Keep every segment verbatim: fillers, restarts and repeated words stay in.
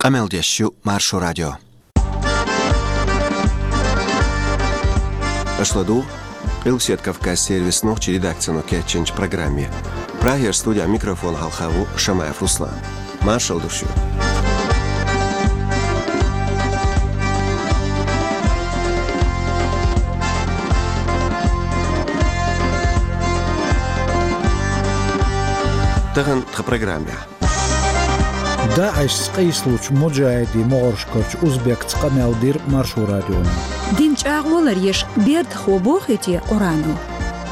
Къамел деш ю Маршо радио. Аша ладугӀу Къилбаседа Кавказан сервисан нохчийн редакцино кечйинчу программе. Прагера студехь микрофон хьалха ву Шамаев Руслан. Маршалла ду шуьга. Тахана тхан программехь. ДАИШ-ца къийсалучу муджахӀидийн могӀаршкарчу узбекца къамел дира Маршо радионо. Дин чӀагӀо ларъеш бердахо бохий те Къуръано?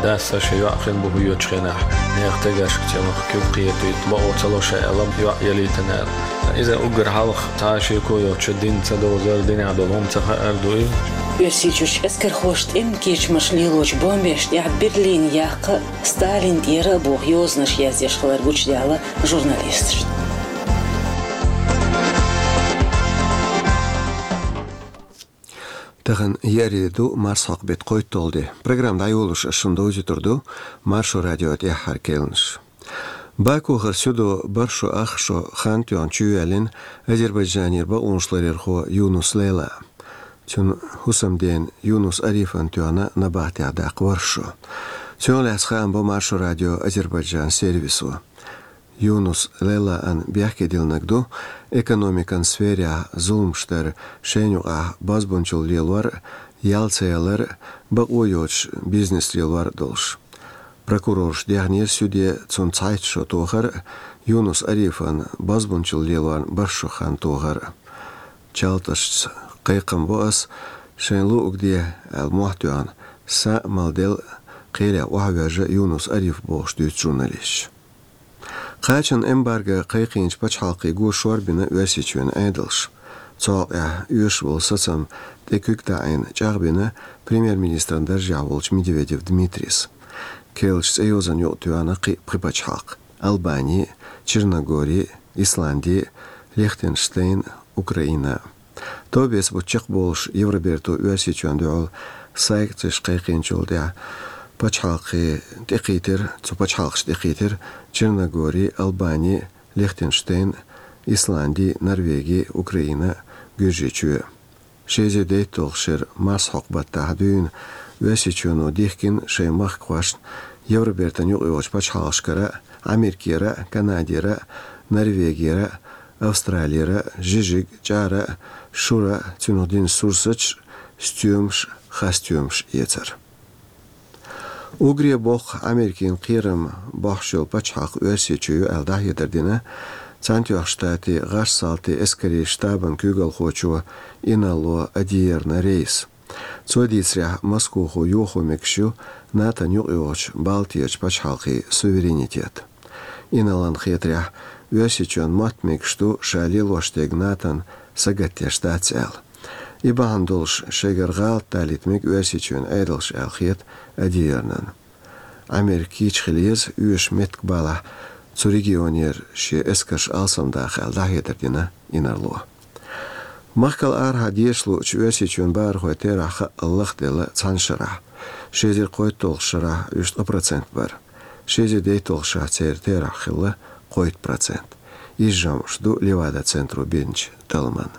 Дас сан шен йоӀ хин бу хьоьгучу хенахь, нехан тегашка цӀе мах куьг кхетийта, бакъо ца ло ша аьлла, йоӀ ялийтина аьлла. Иза уггар хьалха цхьа а шеко йоцуш дин ца довзар, динехь долу хӀума ца хаар ду и. Оьрсийчуьрчу эскархоша тӀеман кечамаш лелочу бомбеш тӀехь Берлине яккха Сталин тӀера а боху йозанаш яздеш хилар гучудаьлла журналисташна. Тахана еарин де ду, марсхьокху беттан кхойтталгӀа де. Программа дӀайолош ас шуна довзуьйтур ду Маршо радион тӀаьххьара керланаш. Бакухара суьдо бархӀ шо ах шо хан тоьхна чуйоьллина Азербайджанера бакъонаш ларъярхо Юнус Лейла. Цуьнан хӀусамдена Юнус Арифана тоьхна набахтехь даккха ворхӀ шо. Цунах лаьцна хаам бо Маршо радион Азербайджан сервисо. Юнус Лейлан бехке диллинарг ду экономикан сферехь зуламаш дар, шайна юкъахь бозбунчалла лелор, ял ца ялар, бакъо йоцуш бизнес лелор долуш. Прокурорша дехнера суьде цунна цхьайтта шо тохар а, Юнус Арифана бозбунчалла лелорна бархӀ шо хан тохар а. Чалташца кхайкхам бо ас, шайна луъург де аьлла мохь тоьхна, са а, мала делла а кхелехь охьавоьжна Юнус Ариф бохуш дуьйцу журналисташа. Кхачанан эмбарго кхайкхийначу пачхьалкхе го шорбина Оьрсийчоьнан Ӏедалш. Цу хьокъехь оьшуш волу сацам тӀе куьг таӀийна чӀагӀбина премьер-министран даржехь волчу Медведев Дмитрис. Керлачу цӀе йозанна юкъа тоьхна кхин а пхи пачхьалкх: Албани, Черногори, Исланди, Лихтенштейн, Украина. Товбеца бутт чекхболуш Евроберто Оьрсийчоьнна дуьхьал санкцеш кхайкхийначул тӀаьхьа пачхьалкхе тӀекхийтира, цу пачхьалкхашна тӀекхийтира Черногори, Албани, Лихтенштейн, Исланди, Норвеги, Украина, Гуьржийчоь. Ши эзар дейтталгӀачу шеран марсхьокху баттахь дуьйна Оьрсийчоьно дихкина шайн махкахошна Евробертан юкъайогӀучу пачхьалкхашкара а, Америкера а, Канадера а, Норвегера а, Австралера а, жижиг, чӀара а, шура а, цунах дина сурсаташ а, стоьмаш а, хасстоьмаш а эцар. Уггаре боккха Америкин кхерам бохьуш йолу пачхьалкх Оьрсийчоь ю аьлла дӀахьедар дина Цхьаьнатоьхначу Штатийн гӀазкхийн эскарийн штабан куьйгалхочо Инало Адиерна Рейса. Цо дийцарехь, Москохо йохо мегаш ю НАТОн юкъайогӀучу Балтийчу пачхьалкхийн суверенитет. Иналон хетарехь, Оьрсийчоьнан мотт мегаш ду ша лелош дерг НАТОн сагатдеш дац аьлла. И бахьана долуш шайгара гӀалат далийта мега Оьрсийчоьнан Ӏедалш аьлла хета Адиернан. Америка кийча хила еза, оьшуш меттиг балахь, цу регионера шен эскарш алсамдаха аьлла дӀахьедар дина Инарло. Махкал арахьа дешаш луучу Оьрсийчоьнан бахархойн терахь хаъал лахделла цхьана шарахь. Ши эзар кхойтталгӀачу шарахь уьш ткъа процент бара. Ши эзар дейтталгӀачу шарахь церан терахь хилла кхойтта процент. Иза жамӀаш ду Левада-центро бинчу талламан.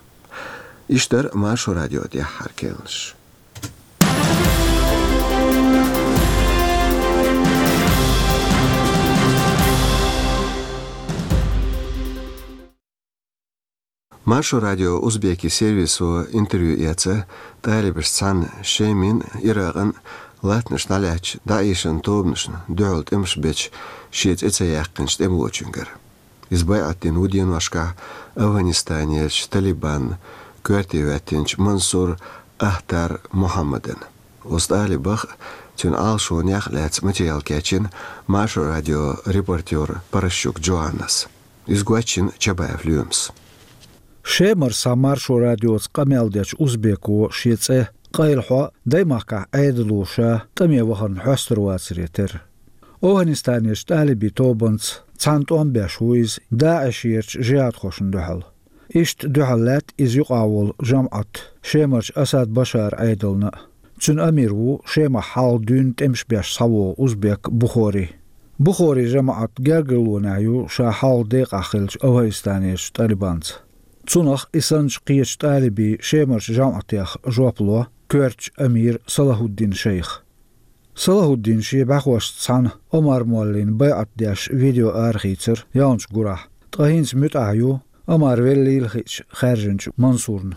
Иштта дара Маршо радион тӀаьххьара керланаш. Маршо радион узбекийн сервисо интервью эцна талибашца цхьаьна Шеман, Иракъан, латтанаш дӀалаьцначу ДАИШ-ан тобанашна дуьхьал тӀемаш бечу шен цӀе ца яьккхинчу тӀемалочуьнгара. Иза байӀат дина ву деношкахь Афганистанерчу Талибанна коьрте хӀоьттинчу Мансур Ахтар Мухаммадана. Оцу талибах а, цуьнан Ӏалашонех а лаьцна материал кечйина Маршо радион репортёра Паращук Джоаннас. Иза гочйина Чабаев Лоьмас. Шемара схьа Маршо радиоца къамел дечу узбеко шен цӀе къайлахьо даймахкахь Ӏедало ша тӀаме вахарна хьоьстур вацаре терра. Афганистанерчу талибийн тобанца цхьаьна тӀом беш ву иза ДАИШ-ерчу жихӀадхошна дуьхьал. Иштта дуьхьал лаьтта иза юкъахь волу жамӀат Шемарчу Асад Башаран Ӏедална а. Цуьнан амир ву Шемахь хьалха дуьйна тӀемаш беш схьавогӀу узбек Бухори. Бухорин жамӀат гергарлонехь ю ша хьалха декъахь хиллачу Афганистанерчу талибанца. Цунах и санначу кхечу тӀалибийн шемарчу жамӀатех жоп ло коьртачу амира Салахуддин шайх. Салахуддин шен бӀаьхошца цхьаьна Омар-моллина байӀат деш видео арахийцира ялханчу гурахь, ткъа хӀинца муьтӀахь ю Омар веллийла хиъча хаьржинчу Мансурна.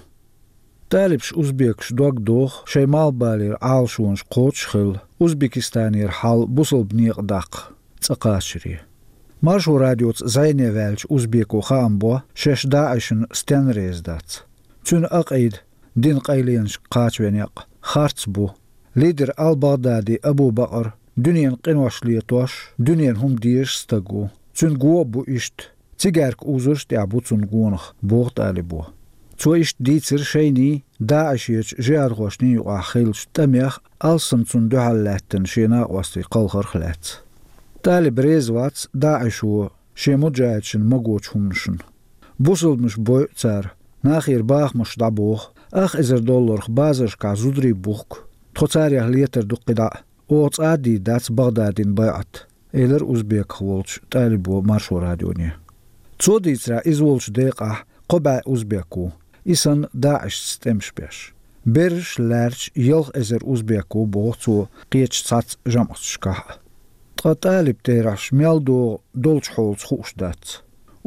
ТӀалибаш, узбекаш дог доху шайн малхбалера Ӏалашонаш кхочуш а хилла, Узбекистанера хьал бусалба некъа даккха цӀа кхачаре. Маршо радиоца зӀене ваьллачу узбеко хаам бо шаьш ДаӀишна стенна реза дац. Цуьнан акъида, динан къайленашка кхачаве некъ, харц бу. Лидер ал-Багъдади Абу-Бакъар дуьненан къинош летош, дуьненан хӀума дезаш стаг ву. Цуьнан го а бу иштта, цигаьрка узарш а тӀехь бу цунна гонах, боху тӀалибо. Цо иштта дийцира шайний, ДаӀишерчу жихӀадхошний юкъахь хиллачу тӀамех, алссам цунна дуьхьал лаьттина шен накъостий кхалхарх а лаьцна. ТӀалиб реза вац ДаӀишо шен муджахӀидашна магочу хӀуманашна. Бусалбанаш бойу цара, нахера бахамаш дӀабоху, ах эзар долларх базаршкахь зударий бухку, тхо царех летар ду кхидӀа а, оха цкъа а дийр дац Багъдадина байӀат, элира узбеках волчу тӀалибо Маршо радионе. Цо дийцарехь, иза волчу декъахь кхо бӀе узбек ву, и санна ДаӀишца тӀемаш беш. Берриш а лаьрча ялх эзар узбек ву, боху цо, кхечу цхьацца жамӀаташкахь а. Ткъа тӀалиб терахьаш мел догӀу долчу хьолаца хууш дац.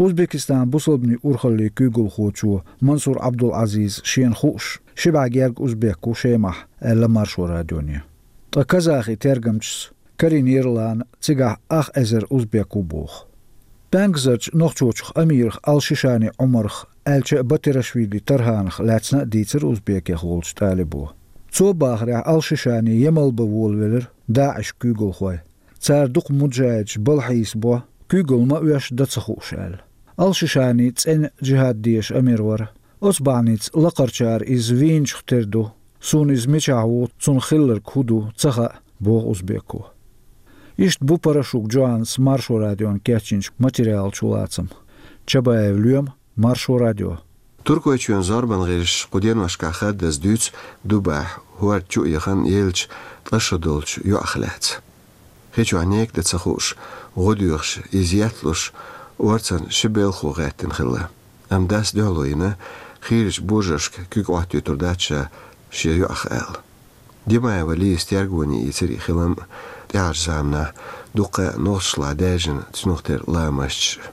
Узбекистанан бусалбанийн урхаллин куьйгалхочо Мансур Ӏабдул-Ӏазиза шена хууш, ши бӀе гергга узбек ву Шемахь, аьлла Маршо радионе. Ткъа казахи тергамчас карийнера лана цигахь ах эзар узбек ву боху. ПӀаьнгазарчу нохчочух амирах ал-Шишани Ӏумарах, аьлча а Батирашвили Тарханах лаьцна а дийцира узбекех волчу тӀалибо. Цо бахарехь, ал-Шишани Ямал бан волавелира ДаӀишан куьйгалхой. Цара дукха муджахӀидаш балхьийсабо, куьйгалла ма оьшу, дан ца хууш аьлла. Ал-Шишани цӀена джихӀад дезаш амир вара. Оцу бахьаница лакхарчара иза вийначух тера ду. Суна иза мичахь ву, цунах хилларг хӀун ду, ца хаьа, боху узбеко. Иштта бу Парашук Джоаннас Маршо радиона кечйинчу материалан чулацам. Чабаев Лоьма, Маршо радио. Туркойчоьнан зорбан гӀирсаша кху деношкахь хаддаза дуьйцу Дубахь хӀорда чу а яхана еллачу ткъа шо долчу йоӀах лаьцна. Хи чохь нека дан ца хууш, гӀо доьхуш, иза етталуш, орцан ши белхо гӀаьттина хилла. Амма дас дуьхьало йина, хийрачу божаршка куьг Ӏоттуьйтур дац ша шен йоӀах аьлла. Димаева Лизас тергоне йийцира и хилам а, тӀаьхьарчу заманахь дуккха а нохчашлахь даьржина цунах тера ламасташ а.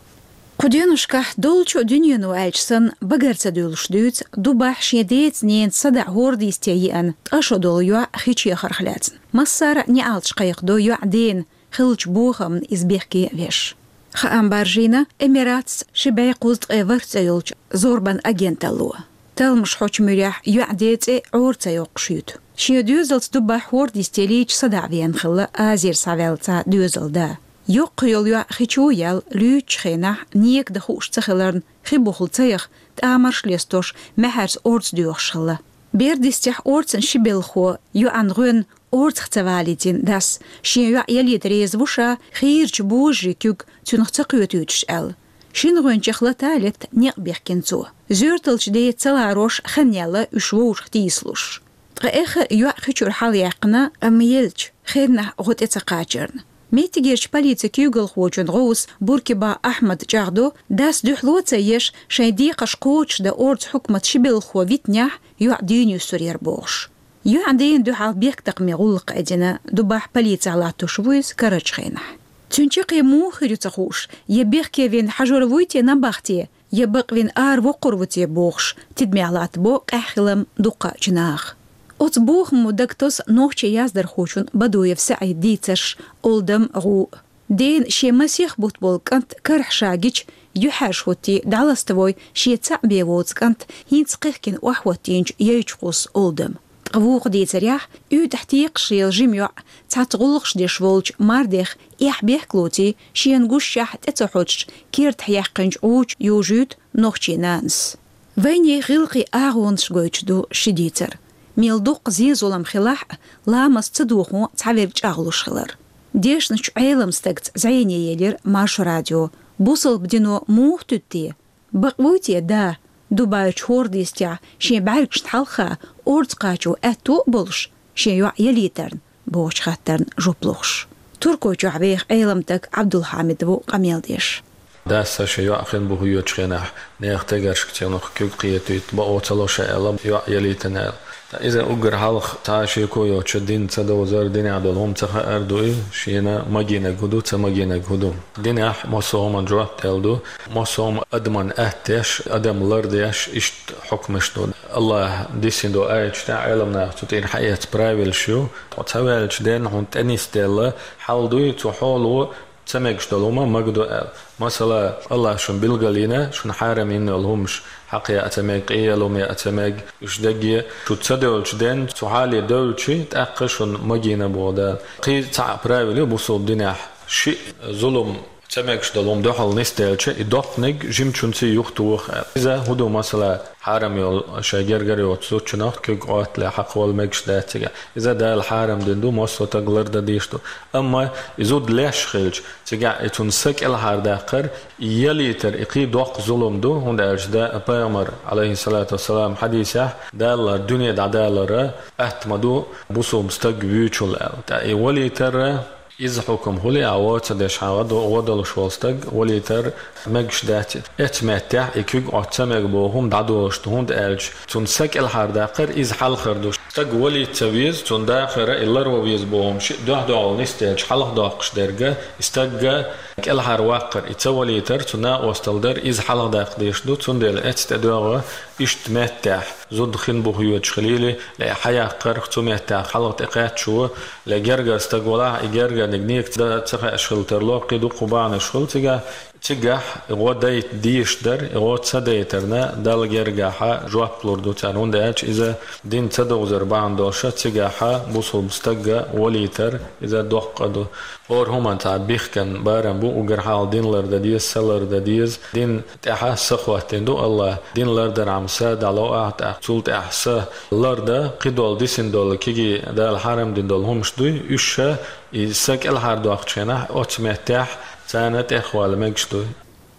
Кху деношкахь долчу а дуьнено аьлча санна, багара ца дуьллуш дуьйцу Дубахь шен деца-ненаца садаӀа хӀорда йисте еана ткъа шо долу йоӀ хи чу яхарх лаьцна. Массара а неӀалташ кхайкхадо йоӀан дена, хиллачу бохамна иза бехке а веш. Хаам баржийна Эмиратца ши бӀе кхузткъе ворхӀ цӀе йолчу зорбан агенталло. Талламаш хьочу муьрехь йоӀан ден цӀе Ӏора ца йоккхуш юьту. Шен доьзалца Дубахь хӀорда йисте лийча садаӀа веана хилла Азера схьаваьлла цхьа доьзалан да. Йоккха йолу йоӀ хи чу а яьлла, луьйчучу хенахь нека дан хууш ца хиларна, хи бухахь ца яха, тӀамарш а лестош, маьхьарца орца доьхуш хилла. Бер дистехь, орцан ши белхо йоӀан гӀоьнна орцах ца валийтина дас, шен йоӀ ялийта реза ву ша, хийрачу божарийн куьг цуьнах ца кхетуьйтуш аьлла. Шина гӀоьнчех лата а летта некъ бехкина цо. Зоьрталчу деца ца ларош хан яьлла уьш вовшах тийсалуш. Ткъа эххар а йоӀ хи чуьра хьалаяьккхина, амма еллачу хеннахь гӀо тӀе ца кхачарна. Меттигерчу полицин куьйгалхочун гӀовс Буркиба Ахьмада чӀагӀдо, дас дуьхьало а ца еш, шайн декхарш кхочушдан орцан хьукматан ши белхахо витинехь, йоӀ дийна юьсур яра бохуш. ЙоӀан дена дуьхьал бехктакхаман гӀуллакх а дина, Дубахь полицехь латтош ву иза карарчу хенахь. Цуьнан чаккхе муха хир ю ца хууш, я бехке вина хьажор вуй те набахте, я бакъвина ара воккхур ву те бохуш, тидамехь латтабо къаьхьа хилам дуккхачу наха. Оцу бохамо дагатосу нохчийн яздархочун Бадуев СаӀидан дийцарш, Олдам, гӀу. Дена шен масех бутт болу кӀант карахь ша гича, юьхьӀаьржа хӀоттий, дӀаластавой шен цхьаъ бен воцу кӀант хӀинца кхехкина охьахӀоттийначу яйчу кхуссу Олдам. Ткъа вукху дийцарехь, уьйтӀахь текхаш лела жима йоӀ цхьацца гӀуллакхаш деш волчу мардех эхь-бехк лоций, шена гушшехь тӀе ца хьочуш, кертахь яьккхинчу гӀу чу южуьйту нохчийн нанас. Вайнехан гӀиллакхийн агӀонаш гойтуш ду ши дийцар. Мел дуккха зен-зулам хилахь а, ламаст ца дохо цхьаверг чӀагӀлуш хилар. Дешначу Ӏеламстагца зӀене елира Маршо радио: бусалба дино муха туьду те? Бакъ вуй те да, Дубайчу хӀорда йистехь шен бӀаьргашна хьалха орца кхачо аьтто а болуш, шен йоӀ ялийтарна? бохучу хаттарна жоп лохуш. Туркойчохь веха Ӏеламстаг Ӏабдулхьамид ву къамел деш. Дас шен йоӀ хин бу хьоьжучу хенахь, нехан тегаршка цунах куьг кхетийта бакъо ца ло ша аьлла, йоӀ ялийтина аьлла. Ткъа иза уггар хьалха цхьа а шеко йоцуш дин ца довзар, динехь долу хӀума ца хаар ду и, шена магийнарг хӀун ду, ца магийнарг хӀун ду. Динехь массо а хӀуманна жоп делла ду, массо а хӀума адамна атта деш, адам лардеш, иштта хьукмаш ду. АллахӀа диссина долу аяташ тӀехь Ӏеламнаха цу тӀера хьаэцна правилаш ю. Ткъа ца ваьллачу денна хьуна тӀенисделла хьал дуй, цу хьоло ца мегаш долу хӀума магадо аьлла. Масала, АллахӀа шуна билгалйина, шуна хьарам йина йолу хӀумаш, хьакха яа ца мега, къе яа хӀума яа ца мега, уьш дерриге шу ца девллачу денна, цу хьале девлча, тӀаккха шуна магийна боху Дала. Кхин цхьа а правила ю бусалба динехь: шиъ зулам, ца мегаш долу хӀума дуьхьал нисделча, и доккханиг жимачуьнца юхатоха аьлла. Иза хӀун ду, масала, хьарам йолу шайн гергара йоцу зудчунах куьг Ӏоттале хьакхавала мегаш дац цигахь. Иза Дала хьарам дина ду, массо а стаг лардан дезаш ду. Амма и зуда леш хилча, цигахь и цунна са кӀелхьардаккхар, и ялийтар, и кхин доккха зулам ду, хӀунда аьлча да, пайхамар, Ӏалайхиссалату вассалам, хьадисехь, Дала дуьне дӀадалар атта ма ду бусалба стаг вуьйчул аьлла. ТӀаккха и валийтар, иза хьукам хӀун ле, а гӀо ца деш хьан гӀо до-, гӀо долуш волу стаг валийтар мегаш дац. Эцу меттехь и куьг Ӏотта ца мега боху хӀума дӀадолуш ду, хӀунда аьлча цунна са кӀелхьардаккхар иза хьалхар ду. Стаг валийта ца веза, цунна дахара и ларван веза боху хӀума шиъ дуьхь-дуьхьал нисделча хьалхадоккхуш дерг, и стагга кӀелхьарваккхар, и ца валийтар, цу накъосталла дар, иза хьалхадаккха дезаш ду, цундела эцна тӀедоьгӀу иштта меттехь, зуда хин бу хьоьжуш хилийла, ле хьаяккхарх цу меттехь хьалха тӀекхаьчча, ле гергара стаг валахь, и гергарниг некаца ца хаьаш хила тарло, кхин дуккха бахьанаш хуьлу цигахь, цигахь и гӀо дайта дезаш дара, и гӀо ца дайтарна, Далла гергахьа жоп лур ду царна, хӀунда аьлча иза дин ца довзар бахьана долуша, цигахьа бусалба стагга валийтар, иза доккха а ду. ХӀора хӀуманна цхьа бихкан барам бу, уггар хьалха дин лардан деза, са лардан деза. Дин тӀехьа са хӀоттийна ду АллахӀа. Дин лардархьама са дӀало ахьа, тӀаккха цул тӀаьхьа са лардан, кхидолу дисина долу, кегий Дала хьарам дина долу хӀумаш дуй, уьш ша и са кӀелхьардоккхучу хенахь, оцу меттехь царна тӀехвала мегаш дуй.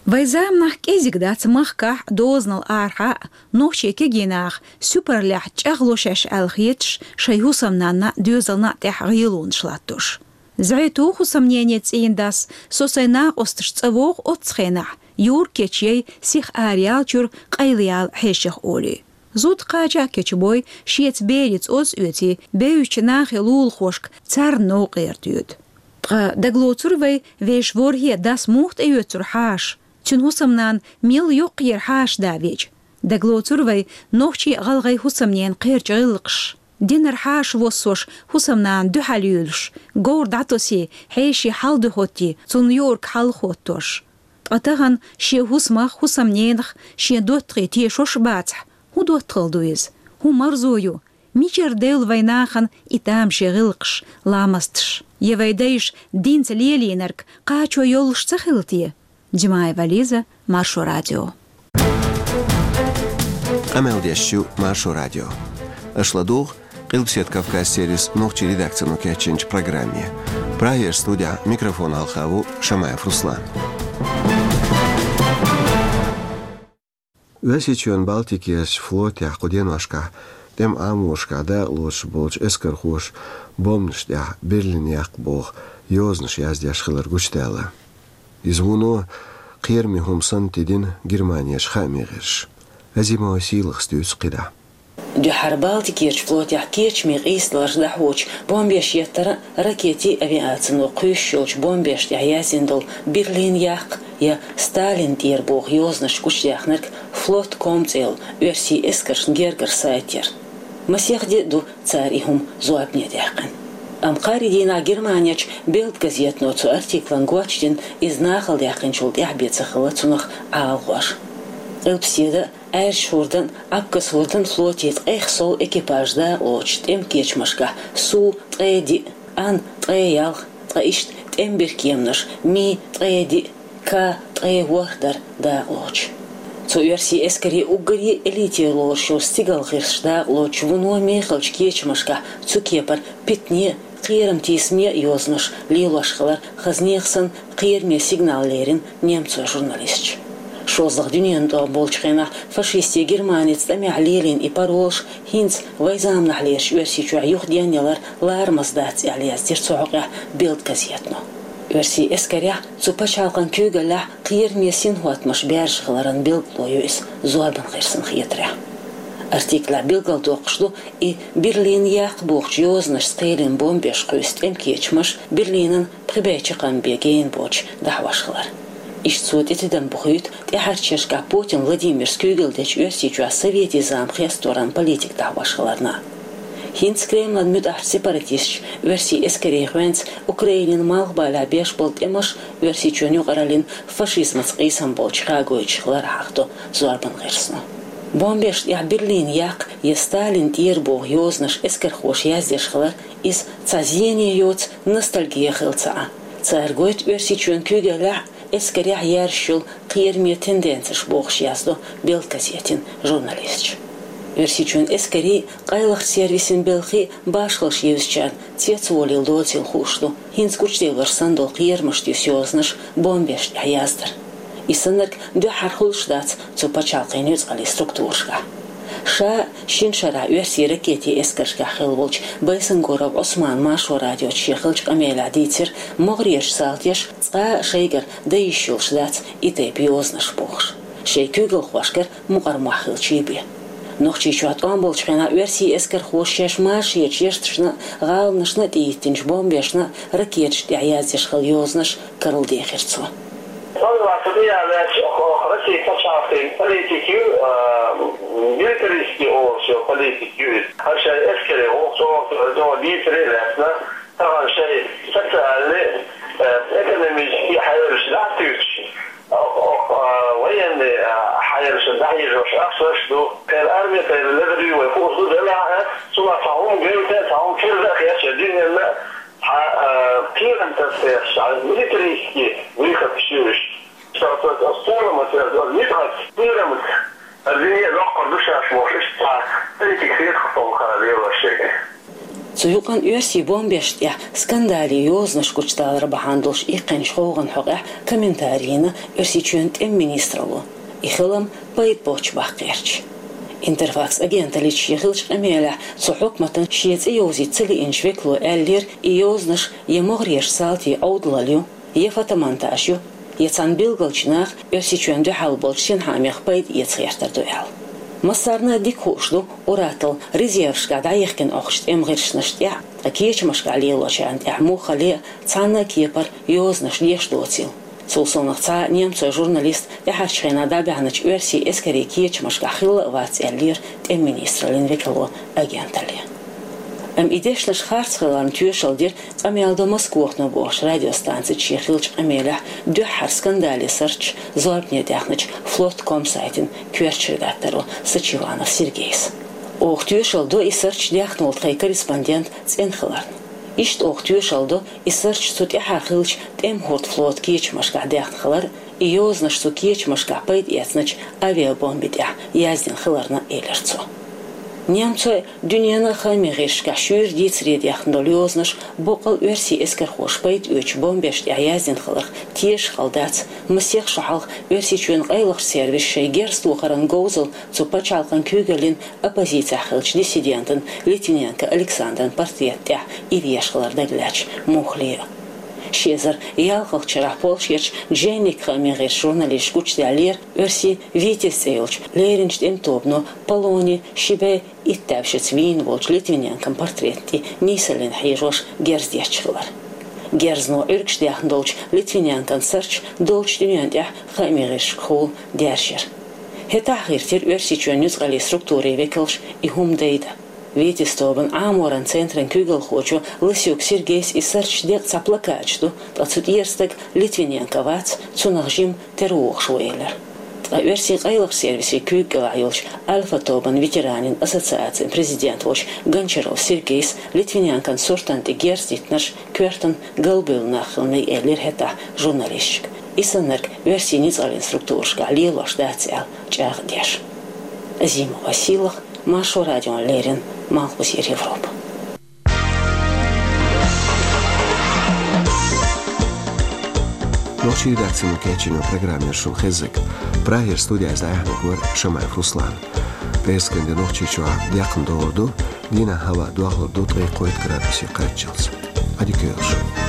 Вайн заманахь кӀезиг дац махкахь а, дозанал арахьа а нохчийн кегий наха суьпарлехь чӀагӀло шаьш аьлла хеташ, шайн хӀусамнанна а, доьзална а тӀехь гӀелонаш латтош. ЗӀе ту хӀусамнене цӀийнан дас, со сайн накъосташца цӀа вогӀу оццу хенахь, юрг кечъяй, сиха араяьллачуьра къайлаяьлла хьешех олий. Зуда кхача а кечбой, шеца бераца оз а оьций, бевзачу нахе лулахошка царна новкъара доьду. Ткъа дагалоцур вай, вешан ворхӀе дас муха тӀеоьцура хьаша? Цуьнан хӀусамнана мел йоккхаера хьаша да веача? Дагалоцур вай, нохчийн а гӀалгӀайн хӀусамненан кхерча гӀиллакхаш? Динара хьаша воссош, хӀусамнана дуьхьал юьйлуш, говр дӀатосий, хьеший хьал дуьхӀоттий, цунна юург хьалхоттош. Ткъа тахана шен хӀусамах, хӀусамненах, шен доттагӀий тешош а бацахь, хӀун доттагӀалла ду иза? ХӀун марзо ю? Мичара девлла вайн нахана и тамашийна гӀиллакхаш, ламасташ? Я вайн дайша динца лелийнарг кхачо йолуш ца хилла те? Димаева Лиза, Маршо радио. Къамел деш ю Маршо радио. Аша ладугӀу Къилбаседа Кавказ сервисан нохчийн редакцино кечйинчу программе. Прагера студехь микрофон хьалха ву Шамаев Руслан. Оьрсийчоьнан Балтикерчу флотехь кху деношкахь тӀеман Ӏаморашкахь дакъалоцуш болчу эскархоша бомбанаш тӀехь Берлин яккха боху йозанаш яздеш хилар гучудаьлла. Иза вуно кхераме хӀума санна тидина Германерчу хааман гӀирсаша. Азимова Сийлахас дуьйцу кхидӀа. Дуьххьара Балтикерчу флотехь кечаме къийсадаларш дӀахьочу бомбеш еттара а, ракетийн авиацино кхуьйсуш йолчу бомбеш тӀехь яздина долу Берлин яккха я Сталин тӀера боху йозанаш гучудаьхнарг флот ком цӀе йолу оьрсийн эскаршна гергара сайт яра. Масех де а ду цара и хӀума зорбане даьккхина. Амма кхаарин дийнахь Германерчу Билд газетано цу артиклан гоч дина, иза нахала даьккхинчул тӀаьхьа бен ца хилла цунах Ӏалашонаш. Къилбаседа а, Аьржачу хӀордан а, Абхаз хӀордан а флотийн ткъех сов экипаж дакъалоцуш тӀеман кечамашкахь Су ткъе диъ, Ан ткъе ялх, ткъа иштта тӀеман биркеманаш Ми ткъе диъ, Ка ткъе ворхӀ дара дакъалоцуш. Цу оьрсийн эскарийн уггаре а элитера лоруш йолу стигалан гӀирсаш дакъалоцуш вуно мехалчу кечамашкахь цу кепара питане а, кхерам тийсаме а йозанаш лелош хилар, хаза нехан санна, кхераме сигнал лерина немцойн журналисташа. ШолгӀа дуьненан тӀом болчу хенахь фашистийн Германица тӀамехь лелийна и паролаш хӀинца вайн заманахьлерчу Оьрсийчохь юхаденна ялар ларамаза дац аьлла, яздира цу хьокъехь Билд газетано. Оьрсийн эскарехь, цу пачхьалкхан куьйгаллехь кхераме синхӀоттамаш баьржа хиларан билгало ю иза зорбан гӀирсан хетарехь. Артиклехь билгалдоккхуш ду и Берлин яккха бохучу йозанашца кхелина бомбеш кхуьйсу тӀеман кечамаш Берлинан пхи бӀе чаккхарма бен гена боцуш дӀахьош хилар. Иштта цо тӀетидам бохуьйту тӀаьхьарчерашкахь Путин Владимира куьйгалла дечу Оьрсийчохь советийн зама хесторан политика дӀахьош хиларна. ХӀинца Кремлан муьтӀахь сепаратисташа оьрсийн эскарийн гӀоьнца Украинин малхбалехь беш болу тӀемаш Оьрсийчоьнан юкъараллин фашизмаца къийсам болчу хагойтуш хилар хьахадо зорбан гӀирсано. Бомбешна тӀехь Берлин яккха я Сталин тӀера боху йозанаш эскархоша яздеш хилар, иза цхьа зене йоцу ностальги хилла ца Ӏа. Цара гойту Оьрсийчоьнан куьйгаллехь, эскарехь яьржаш йолу кхераме тенденцеш бохуш яздо «Белд» газетан журналисташа. Оьрсийчоьнан эскарийн, къайлахчу сервисийн белхийн башхаллаш евзачарна цецволийла доцийла хууш ду хӀинца гучудевлларш санна долу кхерамашца юьсу йозанаш бомбешна тӀехь яздар. И саннарг дуьххьара хуьлуш дац цу пачхьалкхийн нуьцкъалийн структурашкахь. Ша шина шарахь оьрсийн ракетийн эскаршкахь хилла волчу Байсангуров Ӏусмана Маршо радиоца шен хиллачу къамелехь дийцира, могӀарерчу салташа цкъа а шайгара дан йиш йолуш дац и тайпа йозанаш бохуш, шайн куьйгалхошкара мукъар мохь хилча бен. Нохчийчохь тӀом болчу хенахь оьрсийн эскархоша шаьш маршонан ешнашна а, гӀаланашна а тӀехӀиттинчу бомбешна а ракеташна тӀехь яздеш хилла йозанаш карладехира цо. Сан вац тӀе ялаьцча, оха Россин пачхьалкхийн политика ю, а, милитаристский олуш йолу политика ю иза. ХӀара шайн эскарийн гӀуллакх чӀогӀа дийцаре а лаьцна, тахана шайн социальный, э, экономический хьелаш дӀатуьйсуш, оха, оха, а, военный, а, хьелаш дӀахьежош ахчанаш ду. Кхин арми тӀера ледара ю вай хууш ду, делахь а, цунах цхьа хӀума гевта, цхьа хӀума чуьра а хеташ, дуьненна Хьан, а, кхерам тасдеш, хьан милитаристский выход шуьйш. Ша аса, аса пурам аса, аса ницкъаца кхерамца, аса вине доккхур ду шаьш бохуш, иштта цхьа политика хетахь, хӀара лелош шайга. Цу юкъанна оьрсийн бомбешна тӀехь скандале йозанаш гучудалар бахьана долуш иккхинчу гӀовгӀанан хьокъехь комментари йина Оьрсийчоьнан тӀеман министралло. И хилам пайда боцуш баккхийча. Интерфакс агенталлица шен хиллачу къамелехь цу хьукматан шен цӀе йовзийта ца лиъначу векало аьллера, и йозанаш я могӀарерчу салтийн Ӏовдалалла ю, я фотомонтаж ю, я цхьана билгалчу наха Оьрсийчоьнна дуьхьал болчу синхаамех пайда эца гӀертар ду аьлла. Массарна а дика хууш ду, уьттазза резервашкахь дӀаяхкина Ӏохкучу тӀеман гӀирсашна тӀехь, ткъа кечамашкахь лелочарна тӀехь муххале а цхьана а кепара йозанаш деш доцийла. Цул совнаха цхьа а немцойн журналист тӀаьхьарчу хенахь дӀабаьхьначу оьрсийн эскарийн кечамашкахь хилла а вац, аьллера тӀеман министраллин векало агенталле. Амма и дешнаш харц хиларна тоьшалла дира «Къамел ду Москвахно» бохучу радиостанцица шен хиллачу къамелехь дуьххьара скандале сурташ зорбане даьхначу флот ком сайтан коьртачу редакторо Сачиванов Сергейс. Оха тоьшалла до и сурташ даьхна волу тхайн корреспондент цӀена хиларна. Иштта оха тоьшалла до и сурташ цу тӀаьхьара хиллачу тӀеман хӀордан флотан кечамашкахь даьхна хилар, и йозанаш цу кечамашкахь пайда эцначу авиабомбин тӀехь яздина хиларна, элира цо. Немцойн, дуьненан хаамийн гӀирсашкахь шуьйра дийцаре даьхна долу йозанаш боккъал оьрсийн эскархоша пайда оьцучу бомбешна тӀехь яздина хиларх тешаш хала дац, масех шо хьалха Оьрсийчоьнан къайлахчу сервиса шайн герз тохаран говзалла цу пачхьалкхан куьйгаллин оппозицехь хиллачу диссидентан Литвиненко Александран портретан тӀехь иръеш хилар дагалаьцначу муххале а. Ши эзар ялхалгӀачу шарахь Польшерчу «Дженник» хаамийн гӀирсан журналисташа гучудаьллера оьрсийн «Витязь» цӀе йолчу леринчу тӀеман тобано Полони ши бӀе итт даьвшица вийна волчу Литвиненкон портретна тӀе нийсаллина хьежош герз детташ хилар. Герзано Ӏуьргаш даьхна долчу Литвиненкон сурташ долчу дуьненна тӀехь хаамийн гӀирсашкахула даьржира. ХӀетахь гӀиртира Оьрсийчоьнан нуьцкъалийн структурийн векалша и хӀума дайдан. «Витязь» тобанан Ӏаморан центран куьйгалхочо Лысюк Сергейс и сурташ декъа цхьа плакаташ ду, ткъа цу тӀера стаг Литвиненко вац, цунах жима тера вогӀуш ву, элира. Ткъа оьрсийн къайлахчу сервисийн куьйга кӀелахь йолчу «Альфа» тобанан ветеранийн ассоциацин президент волчу Гончаров Сергейс Литвиненкон суртана тӀе герз диттинарш коьртана галбевлла нах хиланай, элира хӀетахь журналисташка. И саннарг оьрсийн нуьцкъалийн структурашкахь лелош дац аьлла чӀагӀдеш. Азимова Сийлаха, Маршо радиона леррина, Малхбузера Европа. Нохчийн редакцино кечйина программа яра шуна хезнарг. Прагера студехь дӀаяьхьнарг вара Шамаев Руслан. ПӀераскан де Нохчийчохь декхна догӀур ду, дийнахь хӀаваъ дохлур ду ткъе кхойтта градусе кхаччалц. Ӏадика йойла шун.